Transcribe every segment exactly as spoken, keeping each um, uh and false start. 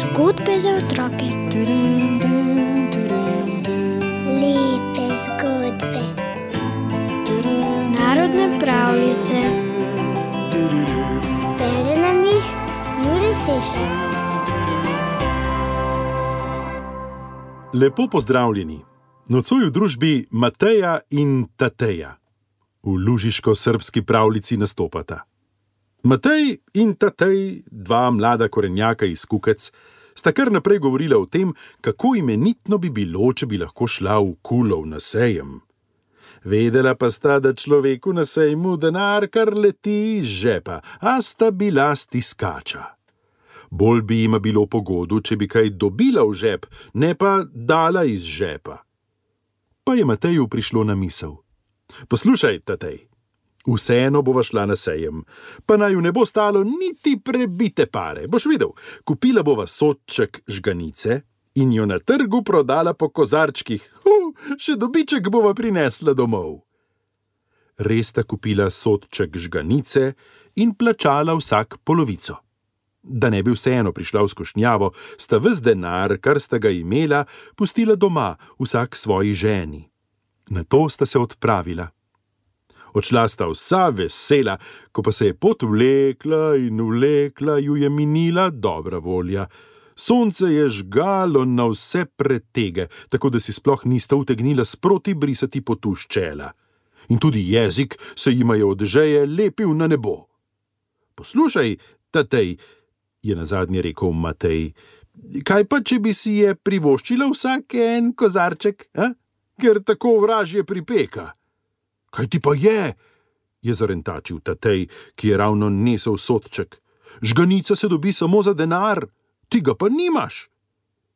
Zgodbe za otroke. Lepe zgodbe. Narodne pravljice. Bere nam jih Jure Sešar. Lepo pozdravljeni. Nocoj v družbi Mateja in Tateja. V lužiško-srbski pravljici nastopata. Matej in Tatej, dva mlada korenjaka iz Kukec, sta kar naprej govorila o tem, kako imenitno bi bilo, če bi lahko šla v Kulov na sejem. Vedela pa sta, da človeku na sejmu denar kar leti iz žepa, a sta bila stiskača. Bolj bi jima bilo pogodu, če bi kaj dobila v žep, ne pa dala iz žepa. Pa je Mateju prišlo na misel. Poslušaj, Tatej, vseeno bova šla na sejem, pa naj ju ne bo stalo niti prebite pare. Boš videl, kupila bova sodček žganice in jo na trgu prodala po kozarčkih. Uh, še dobiček bova prinesla domov. Res sta kupila sodček žganice in plačala vsak polovico. Da ne bi vseeno prišla v skušnjavo, sta ves denar, kar sta ga imela, pustila doma, vsak svoji ženi. Nato sta se odpravila. Odšla sta vsa vesela, ko pa se je pot vlekla in vlekla, ju je minila dobra volja. Sonce je žgalo na vse pretege, tako da si sploh nista utegnila sproti brisati potu s čela. In tudi jezik se jima je od žeje lepil na nebo. Poslušaj, Tatej, je nazadnje rekel Matej, kaj pa, če bi si je privoščila vsak en kozarček, a? Ker tako vražje pripeka. Kaj ti pa je? Je zarentačil Tatej, ki je ravno nesel sodček. Žganica se dobi samo za denar, ti ga pa nimaš.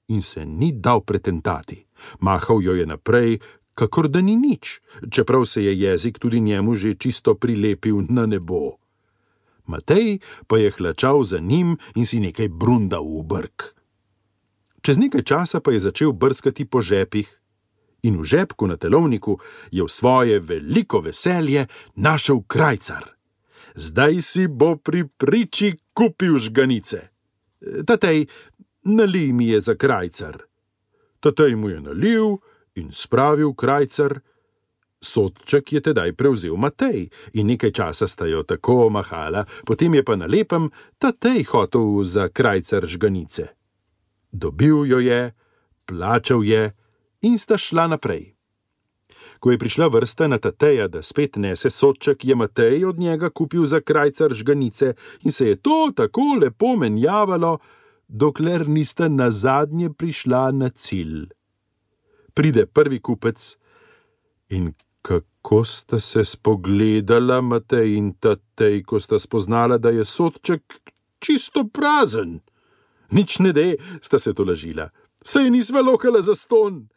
In se ni dal pretentati. Mahal jo je naprej, kakor da ni nič, čeprav se je jezik tudi njemu že čisto prilepil na nebo. Matej pa je hlačal za njim in si nekaj brundal v brk. Čez nekaj časa pa je začel brskati po žepih in v žepku na telovniku je v svoje veliko veselje našel krajcar. Zdaj si bo pri priči kupil žganice. Tatej, nalij mi je za krajcar. Tatej mu je nalil in spravil krajcar. Sodček je tedaj prevzel Matej in nekaj časa sta jo tako mahala, potem je pa na lepem Tatej hotel za krajcar žganice. Dobil jo je, plačal je in sta šla naprej. Ko je prišla vrsta na Tateja, da spet nese sodček, je Matej od njega kupil za krajcar žganice in se je to tako lepo menjavalo, dokler nista nazadnje prišla na cilj. Pride prvi kupec in kako sta se spogledala Matej in Tatej, ko sta spoznala, da je sodček čisto prazen. Nič ne de, sta se tolažila. Saj nisva lokala za ston.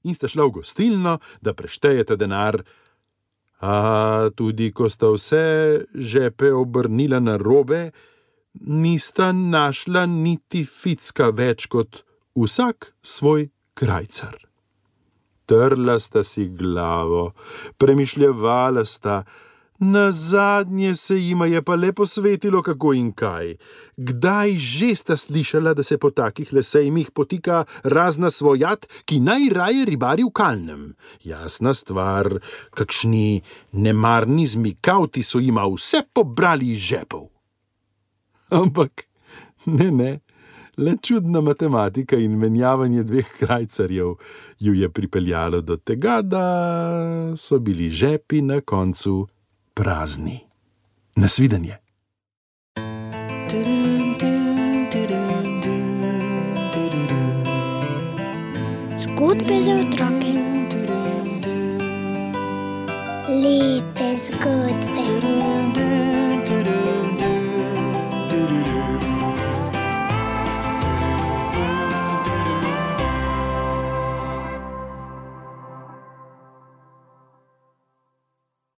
In sta šla v gostilno, da preštejeta denar. A tudi ko sta vse žepe obrnila na robe, nista našla niti ficka več kot vsak svoj krajcar. Trla sta si glavo, premišljevala sta, nazadnje se jima je pa le posvetilo kako in kaj. Kdaj že sta slišala, da se po takih lesejmih potika razna svojat, ki najraje ribari v kalnem? Jasna stvar, kakšni nemarni zmikavti so jima vse pobrali iz žepov. Ampak ne, ne. Le čudna matematika in menjavanje dveh krajcarjev ju je pripeljalo do tega, da so bili žepi na koncu prazni. Nasvidenje. Zgodbe za otroke. Lepe zgodbe.